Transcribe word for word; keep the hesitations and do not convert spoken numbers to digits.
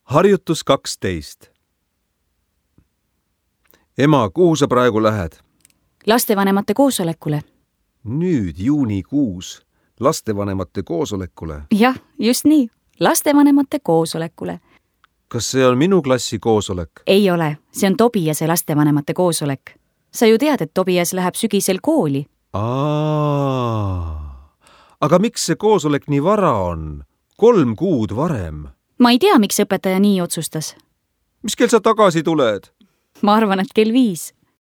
Harjutus kaksteist. Ema, kuhu sa praegu lähed? Lastevanemate koosolekule. Nüüd juunikuus. Lastevanemate koosolekule? Jah, just nii. Lastevanemate koosolekule. Kas see on minu klassi koosolek? Ei ole. See on Tobiase lastevanemate koosolek. Sa ju tead, et Tobias läheb sügisel kooli. Aa. Aga miks see koosolek nii vara on? Kolm kuud varem. Ma ei tea, miks õpetaja nii otsustas. Mis kell sa tagasi tuled? Ma arvan, et kell viis.